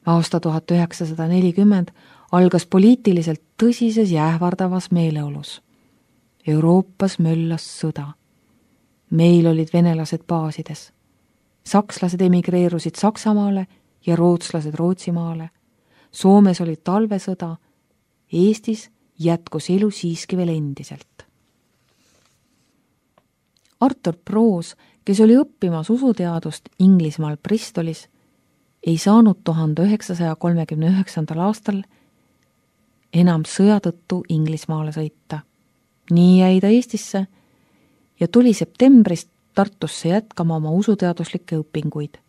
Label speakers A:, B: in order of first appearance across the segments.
A: Aasta 1940 algas poliitiliselt tõsises ja ähvardavas meeleolus. Euroopas möllas sõda. Meil olid venelased baasides. Sakslased emigreerusid Saksamaale ja rootslased Rootsimaale. Soomes oli talvesõda. Eestis jätkus elu siiski veel endiselt. Arthur Proos, kes oli õppimas usuteadust Inglismaal Bristolis, ei saanud 1939. aastal enam sõja tõttu Inglismaale sõita. Nii jäi ta Eestisse ja tuli septembrist Tartusse jätkama oma usuteaduslikke õpinguid.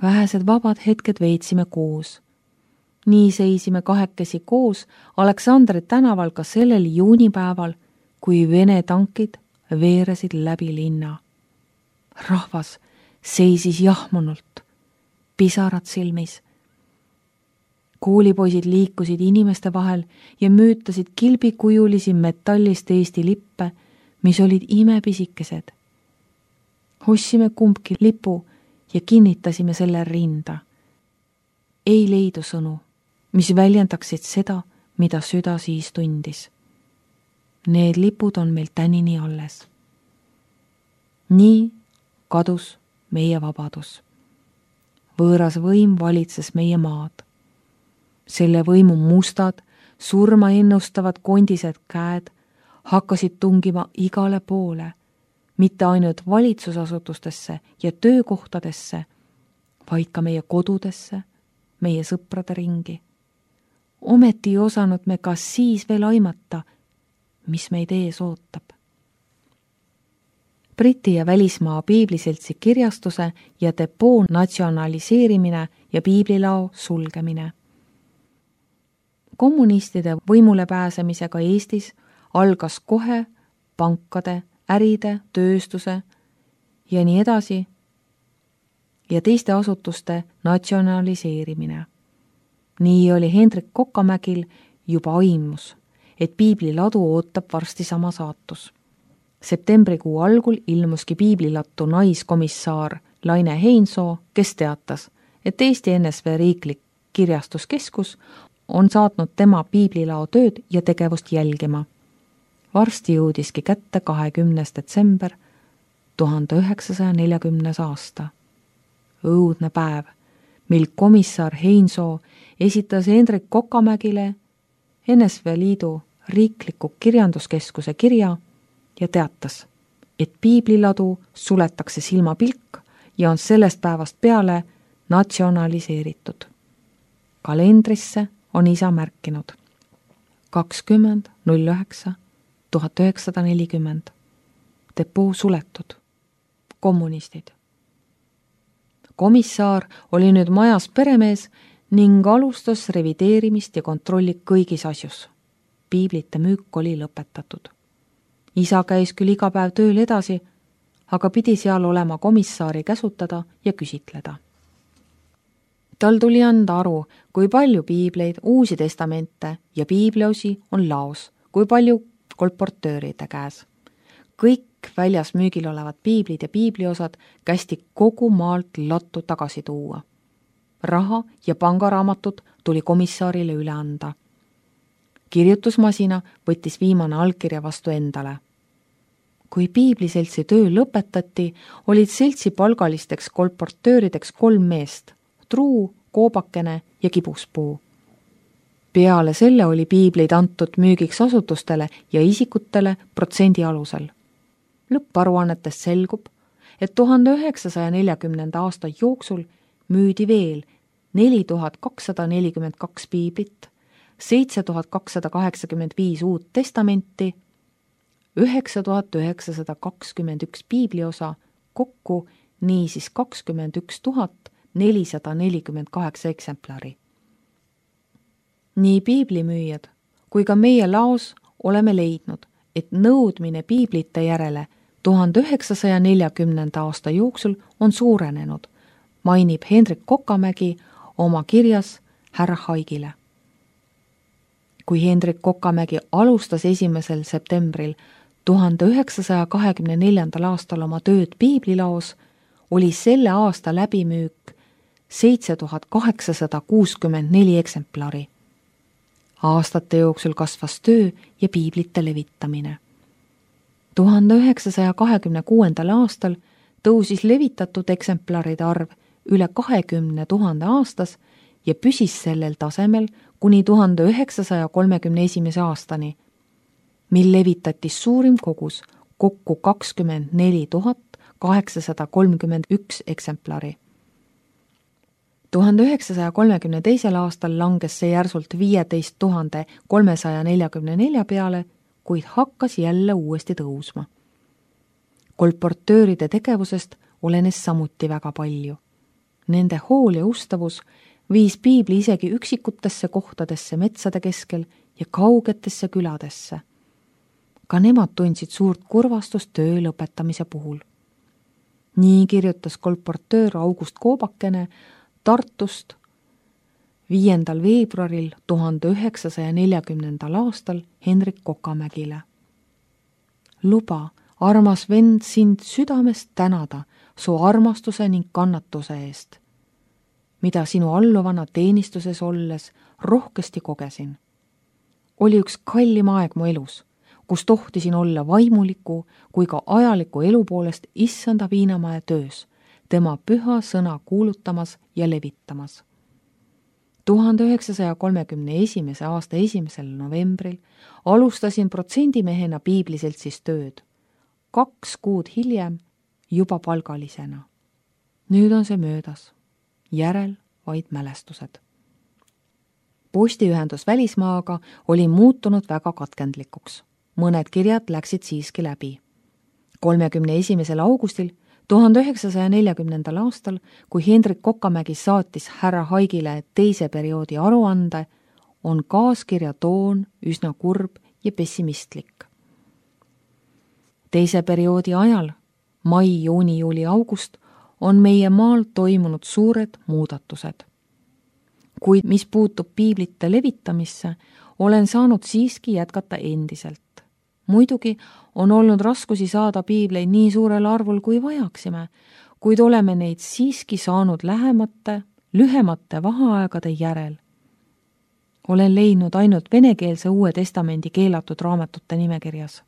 A: Vähesed vabad hetked veetsime koos. Nii seisime kahekesi koos Aleksandri tänaval ka sellel juunipäeval, kui Vene tankid veeresid läbi linna. Rahvas seisis jahmunult, pisarad silmis. Koolipoisid liikusid inimeste vahel ja müütasid kilbikujulisi metallist Eesti lippe, mis olid imepisikesed. Ostsime kumbki lipu ja kinnitasime selle rinda. Ei leidu sõnu, mis väljendaksid seda, mida süda siis tundis. Need lipud on meil tänini alles. Nii kadus meie vabadus. Võõras võim valitses meie maad. Selle võimu mustad, surma ennustavad kondised käed hakkasid tungima igale poole, mitte ainult valitsusasutustesse ja töökohtadesse, vaid ka meie kodudesse, meie sõprade ringi. Ometi ei osanud me ka siis veel aimata, mis meid ees ootab. Briti ja välismaa piibliseltsi kirjastuse ja depoo natsionaliseerimine ja piiblilao sulgemine. Kommunistide võimule pääsemisega Eestis algas kohe pankade, äride, tööstuse ja nii edasi ja teiste asutuste natsionaliseerimine. Nii oli Hendrik Kokamägil juba aimus, et piibliladu ootab varsti sama saatus. Septembrikuu algul ilmuski piiblilattu naiskomissar Laine Heinsoo, kes teatas, et Eesti NSV riiklik kirjastuskeskus on saatnud tema piiblilao tööd ja tegevust jälgima. Varsti jõudiski kätte 20. detsember 1940. aasta. Õudne päev, mil komissar Heinsoo esitas Hendrik Kokamägile NSV Liidu riikliku kirjanduskeskuse kirja ja teatas, et piibliladu suletakse silmapilk ja on sellest päevast peale natsionaliseeritud. Kalendrisse on isa märkinud 20.09.1940. Depoo suletud. Kommunistid. Komissar oli nüüd majas peremees ning alustas revideerimist ja kontrolli kõigis asjus. Piiblite müük oli lõpetatud. Isa käis küll iga päev tööl edasi, aga pidi seal olema komissaari käsutada ja küsitleda. Tal tuli anda aru, kui palju piibleid, uusi testamente ja piibliosi on laos, kui palju kolportööride käes. Kõik väljas müügil olevad piiblid ja piibliosad kästi kogu maalt lattu tagasi tuua. Raha ja pangaraamatud tuli komissaarile üle anda. Kirjutusmasina võttis viimane allkirja vastu endale. Kui piibliseltsi töö lõpetati, olid seltsi palgalisteks kolportöörideks 3 meest, Truu, Koobakene ja Kibuspuu. Peale selle oli piibleid antud müügiks asutustele ja isikutele protsendi alusel. Lõpparuannetest selgub, et 1940. aasta jooksul müüdi veel 4242 piiblit, 7285 uut testamenti, 9921 piibliosa, kokku niisiis 21 448 eksemplari. Nii piiblimüüjad kui ka meie laos oleme leidnud, et nõudmine piiblite järele 1940. aasta jooksul on suurenenud, mainib Hendrik Kokamägi oma kirjas härra Haigile. Kui Hendrik Kokamägi alustas 1. septembril 1924. aastal oma tööd piiblilaos, oli selle aasta läbimüük 7864 eksemplari. Aastate jooksul kasvas töö ja piiblite levitamine. 1926. aastal tõusis levitatud eksemplaride arv üle 20 000 aastas ja püsis sellel tasemel kuni 1931. aastani, mil levitati suurim kogus kokku 24 831 eksemplari. 1932. aastal langes see järsult 15 344 peale, kuid hakkas jälle uuesti tõusma. Kolportööride tegevusest olenes samuti väga palju. Nende hool ja ustavus viis piibli isegi üksikutesse kohtadesse metsade keskel ja kaugetesse küladesse. Ka nemad tundsid suurt kurvastust töö lõpetamise puhul. Nii kirjutas kolportöör August Koobakene Tartust 5. veebruaril 1940. aastal Hendrik Kokamägile. Luba, armas vend, sind südamest tänada su armastuse ning kannatuse eest, mida sinu alluvana teenistuses olles rohkesti kogesin. Oli üks kallim aeg mu elus, kus tohtisin olla vaimuliku kui ka ajaliku elu poolest issanda Viinamäe töös, tema püha sõna kuulutamas ja levitamas. 1931. aasta 1. novembril alustasin protsendimehena piibliseltsis tööd. 2 kuud hiljem juba palgalisena. Nüüd on see möödas. Järel vaid mälestused. Postiühendus välismaaga oli muutunud väga katkendlikuks. Mõned kirjad läksid siiski läbi. 31. augustil 1940. aastal, kui Hendrik Kokamägi saatis härra Haigile teise perioodi aruande, on kaaskirja toon üsna kurb ja pessimistlik. Teise perioodi ajal, mai, juuni, juuli, august, on meie maal toimunud suured muudatused. Kuid mis puutub piiblite levitamisse, olen saanud siiski jätkata endiselt. Muidugi on olnud raskusi saada piibleid nii suurel arvul, kui vajaksime, kuid oleme neid siiski saanud lühemate vaheaegade järel. Olen leidnud ainult venekeelse Uue Testamendi keelatud raamatute nimekirjas.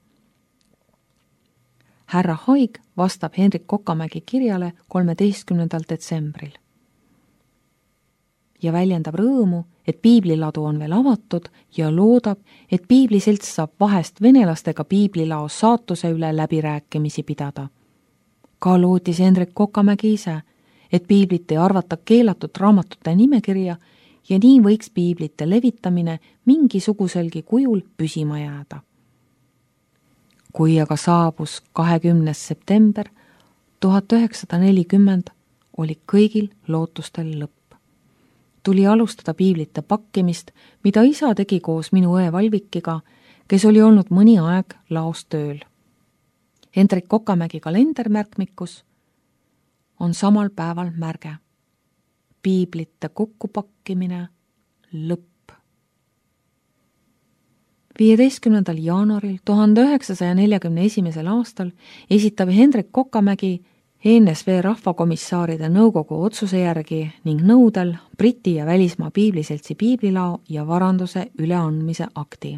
A: Härra Haig vastab Hendrik Kokamägi kirjale 13. detsembril ja väljendab rõõmu, et piibliladu on veel avatud ja loodab, et piibliselts saab vahest venelastega piiblilao saatuse üle läbirääkimisi pidada. Ka lootis Hendrik Kokamägi ise, et piiblit ei arvata keelatud raamatute nimekirja ja nii võiks piiblite levitamine mingisuguselgi kujul püsima jääda. Kui aga saabus 20. september 1940, oli kõigil lootustel lõpp. Tuli alustada piiblite pakkimist, mida isa tegi koos minu õe Valvikiga, kes oli olnud mõni aeg laos tööl. Hendrik Kokamägi kalendermärkmikus on samal päeval märge. Piiblite kokkupakkimine lõpp. 15. jaanuaril 1941. aastal esitab Hendrik Kokamägi ENSV rahvakomissaaride nõukogu otsuse järgi ning nõudel Briti ja välismaa piibliseltsi piiblilao ja varanduse üleandmise akti.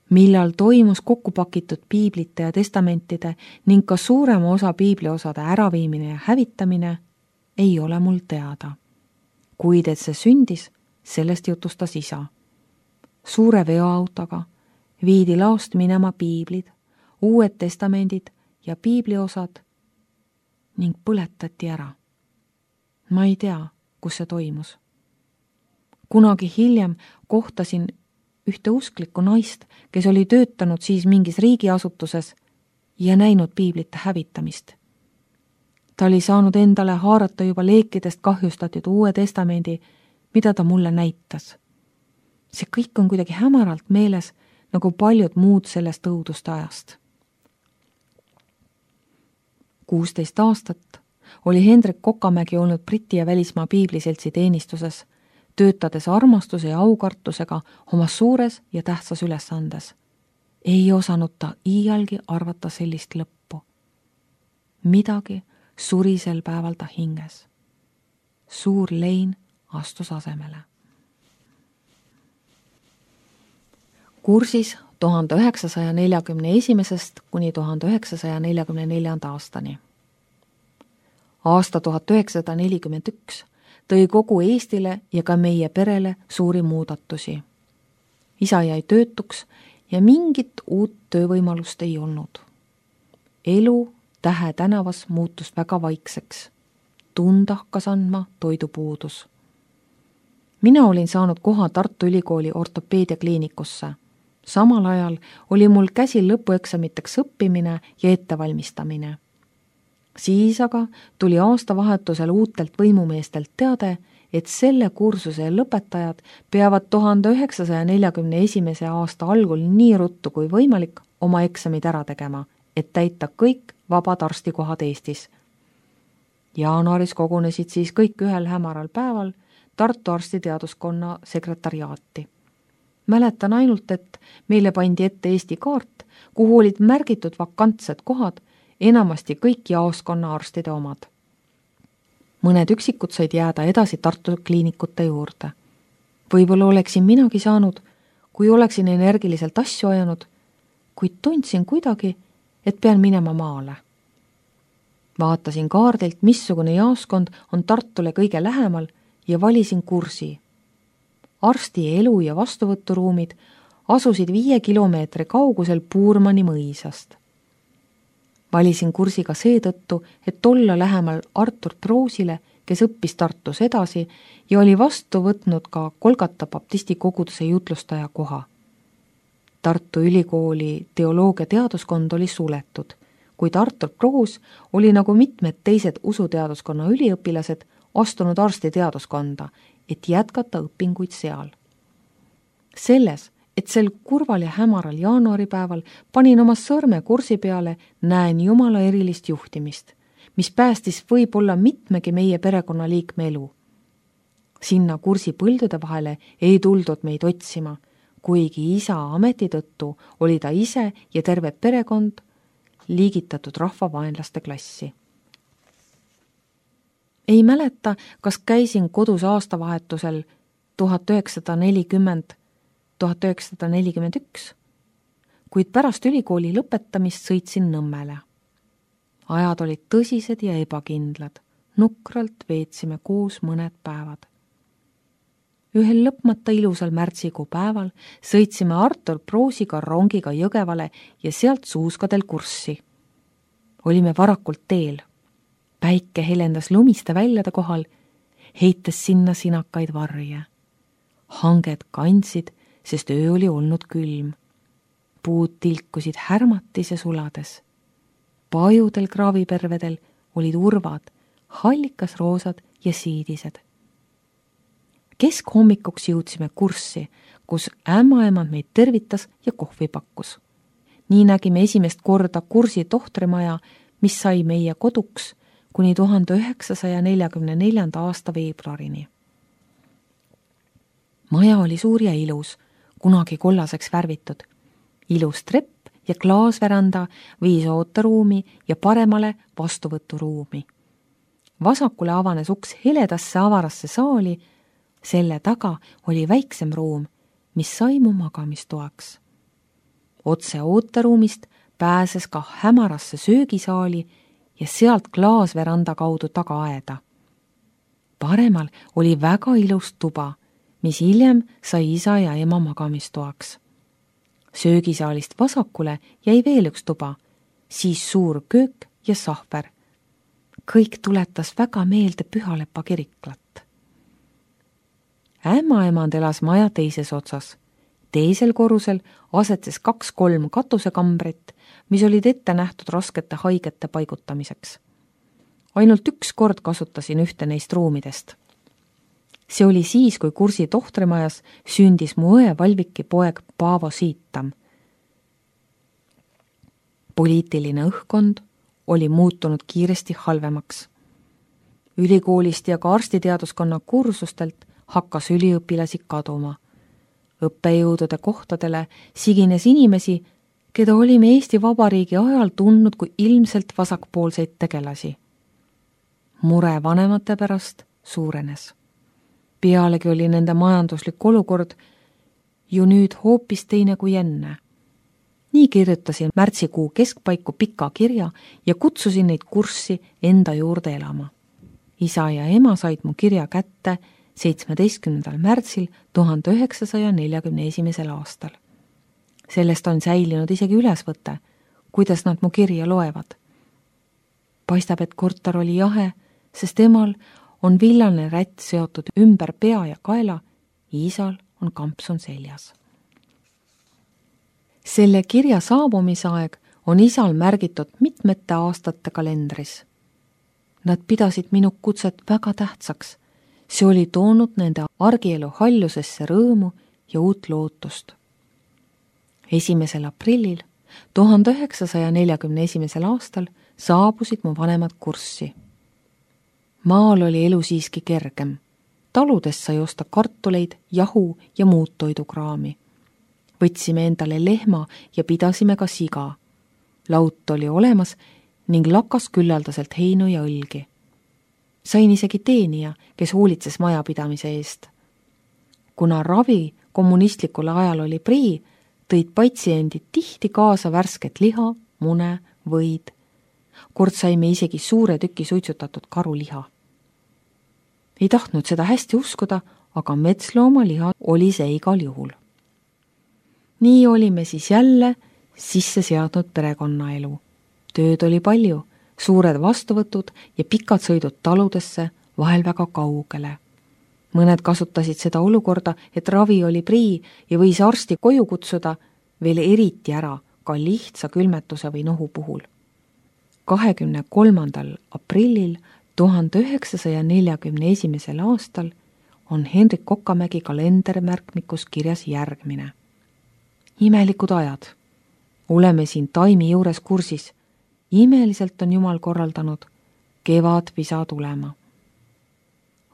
A: Millal toimus kokkupakitud piiblite ja testamentide ning ka suurema osa piibliosade äraviimine ja hävitamine, ei ole mul teada. Kuid et see sündis, sellest jutustas isa. Suure veoautoga viidi laost minema piiblid, Uued testamendid ja piibliosad ning põletati ära. Ma ei tea, kus see toimus. Kunagi hiljem kohtasin ühte usklikku naist, kes oli töötanud siis mingis riigiasutuses ja näinud piiblite hävitamist. Ta oli saanud endale haarata juba leekidest kahjustatud Uue testamendi, mida ta mulle näitas. See kõik on kuidagi hämaralt meeles, nagu paljud muud sellest õuduste ajast. 16 aastat oli Hendrik Kokamägi olnud Briti ja välismaa piibliseltsi teenistuses, töötades armastuse ja aukartusega oma suures ja tähtsas ülesandes. Ei osanud ta iialgi arvata sellist lõppu. Midagi suri sel päeval ta hinges. suur lein astus asemele. Kursis 1941. kuni 1944. aastani. Aasta 1941 tõi kogu Eestile ja ka meie perele suuri muudatusi. Isa jäi töötuks ja mingit uut töövõimalust ei olnud. Elu Tähe tänavas muutus väga vaikseks. Tunda hakkas andma toidupuudus. Mina olin saanud koha Tartu Ülikooli ortopeediakliinikusse. Samal ajal oli mul käsil lõpueksamiteks õppimine ja ettevalmistamine. Siis aga tuli aastavahetusel uutelt võimumeestelt teade, et selle kursuse lõpetajad peavad 1941. aasta algul nii ruttu kui võimalik oma eksamid ära tegema, et täita kõik vabad arstikohad Eestis. Jaanuaris kogunesid siis kõik ühel hämaral päeval Tartu arstiteaduskonna sekretariaati. Mäletan ainult, et meile pandi ette Eesti kaart, kuhu olid märgitud vakantsed kohad, enamasti kõik jaoskonna arstide omad. Mõned üksikud said jääda edasi Tartu kliinikute juurde. Võib-olla oleksin minagi saanud, kui oleksin energiliselt asju ajanud, kuid tundsin kuidagi, et pean minema maale. Vaatasin kaardilt, missugune jaoskond on Tartule kõige lähemal ja valisin kursi. Arsti elu- ja vastuvõturuumid asusid 5 kilomeetri kaugusel Puurmani mõisast. Valisin kursi ka seetõttu, et olla lähemal Artur Proosile, kes õppis Tartus edasi ja oli vastu võtnud ka Kolgata baptisti koguduse jutlustaja koha. Tartu Ülikooli teoloogia-teaduskond oli suletud, kuid Artur Proos oli nagu mitmed teised usuteaduskonna üliõpilased astunud arstiteaduskonda, et jätkata õpinguid seal. Selles, et sel kurval ja hämaral jaanuaripäeval panin oma sõrme kursi peale, näen Jumala erilist juhtimist, mis päästis võib-olla mitmegi meie perekonnaliikme elu. Sinna kursi põldude vahele ei tuldud meid otsima, kuigi isa ameti tõttu oli ta ise ja terve perekond liigitatud rahvavaenlaste klassi. Ei mäleta, kas käisin kodus aastavahetusel 1940-1941, kuid pärast ülikooli lõpetamist sõitsin Nõmmele. Ajad olid tõsised ja ebakindlad, nukralt veetsime koos mõned päevad. Ühel lõpmata ilusal märtsikuu päeval sõitsime Artur Proosiga rongiga Jõgevale ja sealt Suuskadel kurssi. Olime varakult teel. Päike helendas lumiste väljade kohal, heites sinna sinakaid varje. Hanged kandsid, sest öö oli olnud külm. Puud tilkusid härmatis ja sulades. Pajudel kraavipervedel olid urvad, hallikas roosad ja siidised. Keskhommikuks jõudsime kurssi, kus ämmaemand meid tervitas ja kohvi pakkus. Nii nägime esimest korda kursi tohtrimaja, mis sai meie koduks kuni 1944. aasta veebruarini. Maja oli suur ja ilus, kunagi kollaseks värvitud. Ilus trepp ja klaasveranda viis ooteruumi ja paremale vastuvõturuumi. Vasakule avanes uks heledasse avarasse saali, selle taga oli väiksem ruum, mis sai mu magamistoaks. Otse ooteruumist pääses ka hämarasse söögisaali ja sealt klaasveranda kaudu tagaaeda. Paremal oli väga ilus tuba, mis hiljem sai isa ja ema magamistoaks. Söögisaalist vasakule jäi veel üks tuba, siis suur köök ja sahver. Kõik tuletas väga meelde Pühalepa kiriklat. Ämmaemand elas maja teises otsas. Teisel korrusel asetses 2-3 katusekambrit, mis olid ette nähtud raskete haigete paigutamiseks. Ainult üks kord kasutasin ühte neist ruumidest. See oli siis, kui kursi tohtrimajas sündis mu õe Valviki poeg Paavo Siitam. Poliitiline õhkkond oli muutunud kiiresti halvemaks. Ülikoolist ja ka arstiteaduskonna kursustelt hakkas üliõpilasi kaduma. Õppejõudude kohtadele sigines inimesi, keda olime Eesti Vabariigi ajal tundnud kui ilmselt vasakpoolseid tegelasi. Mure vanemate pärast suurenes. Pealegi oli nende majanduslik olukord ju nüüd hoopis teine kui enne. Nii kirjutasin märtsikuu keskpaiku pika kirja ja kutsusin neid kurssi enda juurde elama. Isa ja ema said mu kirja kätte 17. märtsil 1941. aastal. Sellest on säilinud isegi ülesvõte, kuidas nad mu kirja loevad. Paistab, et korter oli jahe, sest emal on villane rätt seotud ümber pea ja kaela, isal on kampsun seljas. Selle kirja saabumisaeg on isal märgitud mitmete aastate kalendris. Nad pidasid minu kutset väga tähtsaks. See oli toonud nende argielu hallusesse rõõmu ja uut lootust. 1. aprillil 1941. aastal saabusid mu vanemad kurssi. Maal oli elu siiski kergem. Taludest sai osta kartuleid, jahu ja muud toidukraami. Võtsime endale lehma ja pidasime ka siga. Laut oli olemas ning lakas küllaldaselt heinu ja õlgi. Sain isegi teenija, kes hoolitses majapidamise eest. Kuna ravi kommunistlikul ajal oli prii, tõid patsiendid tihti kaasa värsket liha, mune, võid. Kord saime isegi suure tüki suitsutatud karuliha. Ei tahtnud seda hästi uskuda, aga metsloomaliha oli see igal juhul. Nii olime siis jälle sisse seadnud perekonnaelu. Tööd oli palju, suured vastuvõtud ja pikad sõidud taludesse, vahel väga kaugele. Mõned kasutasid seda olukorda, et ravi oli prii ja võis arsti koju kutsuda veel eriti ära ka lihtsa külmetuse või nohu puhul. 23. aprillil 1941. aastal on Hendrik Kokamägi kalendermärkmikus kirjas järgmine. Imelikud ajad. Oleme siin taimi juures kursis. Imeliselt on Jumal korraldanud. Kevad visa tulema.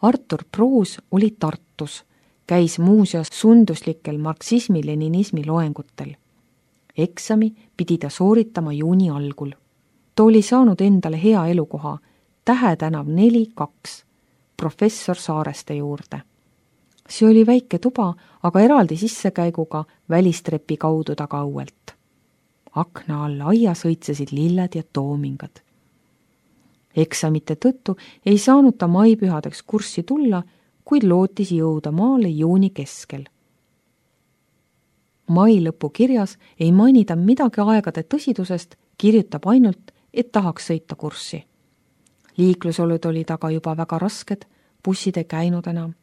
A: Artur Pruus oli Tartus. Käis muuseas sunduslikel marksismi-leninismi loengutel. Eksami pidi ta sooritama juuni algul. Ta oli saanud endale hea elukoha, Tähe tänav 4-2, professor Saareste juurde. See oli väike tuba, aga eraldi sissekäiguga välistrepi kaudu tagauelt. Akna alla aia sõitsesid lilled ja toomingad. Eksamite tõttu ei saanud ta maipühadeks kurssi tulla, kuid lootis jõuda maale juuni keskel. Mai lõpu kirjas ei mainida midagi aegade tõsidusest, kirjutab ainult, et tahaks sõita kurssi. Liiklusolud olid aga juba väga rasked, bussid ei käinud enam.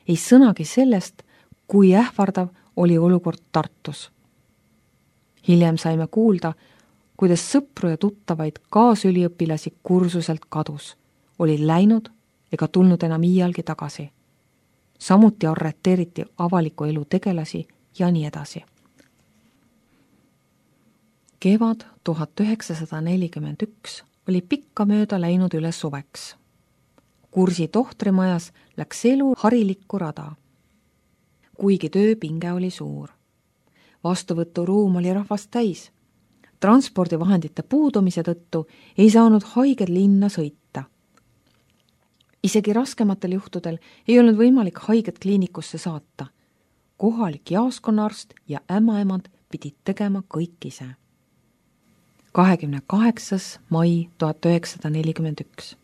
A: Ei sõnagi sellest, kui ähvardav oli olukord Tartus. Hiljem saime kuulda, kuidas sõpru ja tuttavaid kaasüliõpilasi kursuselt kadus, olid läinud ega tulnud enam iialgi tagasi. Samuti arreteeriti avaliku elu tegelasi ja nii edasi. Kevad 1941 oli pikka mööda läinud üle suveks. Kursi tohtrimajas läks elu harilikku rada. Kuigi tööpinge oli suur. Vastuvõturuum oli rahvast täis. Transpordivahendite puudumise tõttu ei saanud haiged linna sõita. Isegi raskematel juhtudel ei olnud võimalik haiget kliinikusse saata. Kohalik jaoskonnaarst ja ämmaemand pidid tegema kõik ise. 28. mai 1941.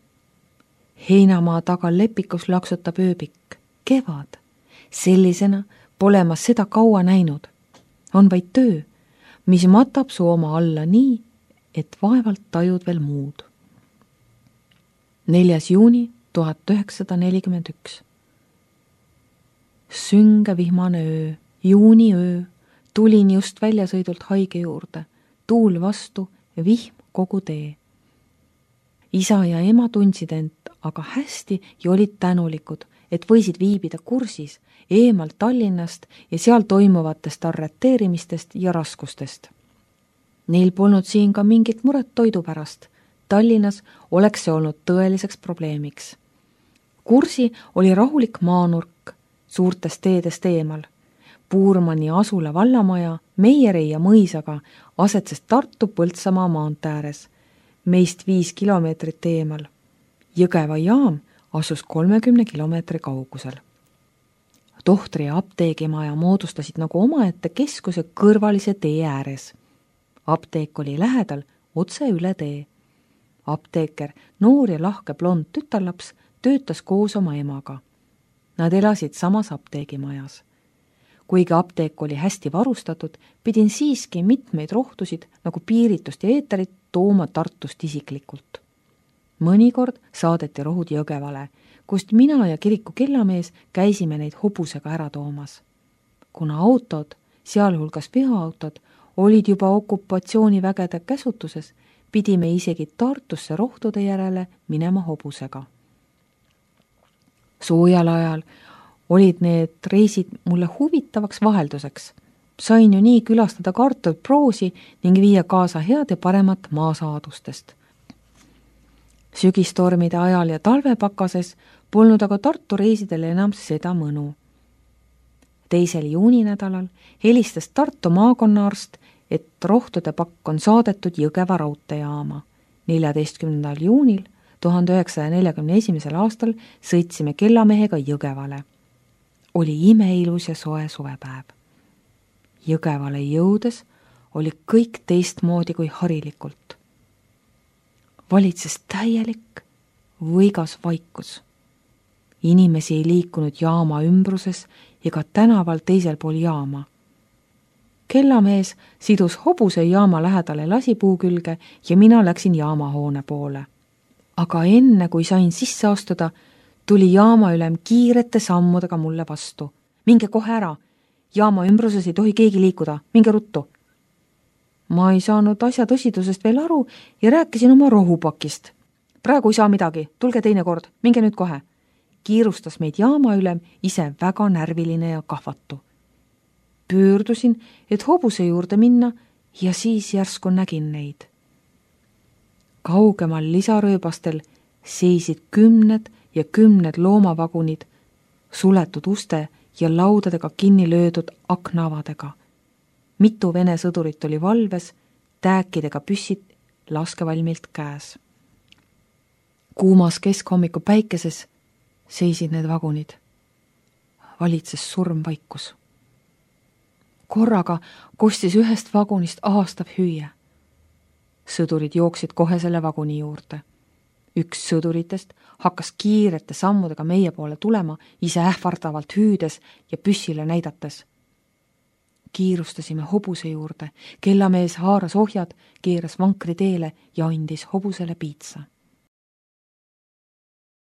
A: Heinamaa taga lepikus laksutab ööbik. Kevad. Sellisena pole ma seda kaua näinud. On vaid töö, mis matab su oma alla nii, et vaevalt tajud veel muud. 4. juuni 1941. Sünge vihmane öö, juuniöö, tulin just väljasõidult haige juurde, tuul vastu ja vihm kogu tee. Isa ja ema tundsid end aga hästi ja olid tänulikud, et võisid viibida kursis eemalt Tallinnast ja seal toimuvatest arreteerimistest ja raskustest. Neil polnud siin ka mingit muret toidu pärast. Tallinnas oleks see olnud tõeliseks probleemiks. Kursi oli rahulik maanurk suurtest teedest eemal. Puurmani asula vallamaja, Meieri ja mõisaga asetses Tartu Põltsamaa maantee ääres, meist 5 kilomeetrit eemal. Jõgeva jaam asus 30 kilomeetri kaugusel. Tohtri ja apteegimaja moodustasid nagu omaette keskuse kõrvalise tee ääres. Apteek oli lähedal, otse üle tee. Apteeker, noor ja lahke blond tütarlaps, töötas koos oma emaga. Nad elasid samas apteegimajas. Kuigi apteek oli hästi varustatud, pidin siiski mitmeid rohtusid nagu piiritust ja eeterit tooma Tartust isiklikult. Mõnikord saadeti rohud Jõgevale, kust mina ja kiriku kellamees käisime neid hobusega ära toomas. Kuna autod, sealhulgas veoautod, olid juba okupatsioonivägede käsutuses, pidime isegi Tartusse rohtude järele minema hobusega. Soojal ajal olid need reisid mulle huvitavaks vahelduseks. Sain ju nii külastada Artur Proosi ning viia kaasa head ja paremat maasaadustest. Sügistormide ajal ja talvepakases polnud aga Tartu reisidel enam seda mõnu. 2. juuninädalal helistas Tartu maakonnaarst, et rohtude pakk on saadetud Jõgeva raudteejaama. 14. juunil 1941. aastal sõitsime kellamehega Jõgevale. Oli imeilus ja soe suvepäev. Jõgevale jõudes oli kõik teistmoodi kui harilikult. Valitses täielik, võigas vaikus. Inimesi ei liikunud jaama ümbruses ega tänaval teisel pool jaama. Kellamees sidus hobuse jaama lähedale lasipuu külge ja mina läksin jaamahoone poole. Aga enne, kui sain sisse astuda, tuli jaamaülem kiirete sammudega mulle vastu. Minge kohe ära, jaama ümbruses ei tohi keegi liikuda, minge ruttu. Ma ei saanud asja tõsidusest veel aru ja rääkisin oma rohupakist. Praegu ei saa midagi, tulge teine kord, minge nüüd kohe. Kiirustas meid jaamaülem, ise väga närviline ja kahvatu. Pöördusin, et hobuse juurde minna ja siis järsku nägin neid. Kaugemal lisarööbastel seisid 10 ja 10 loomavagunid, suletud uste ja laudadega kinni löödud aknaavadega. Mitu Vene sõdurit oli valves, tääkidega püssid laskevalmilt käes. Kuumas keskhommiku päikeses seisid need vagunid. Valitses surmvaikus. Korraga kostis ühest vagunist ahastav hüüe. Sõdurid jooksid kohe selle vaguni juurde. Üks sõduritest hakkas kiirete sammudega meie poole tulema, ise ähvardavalt hüüdes ja püssile näidates. Kiirustasime hobuse juurde, kellamees haaras ohjad, keeras vankri teele ja andis hobusele piitsa.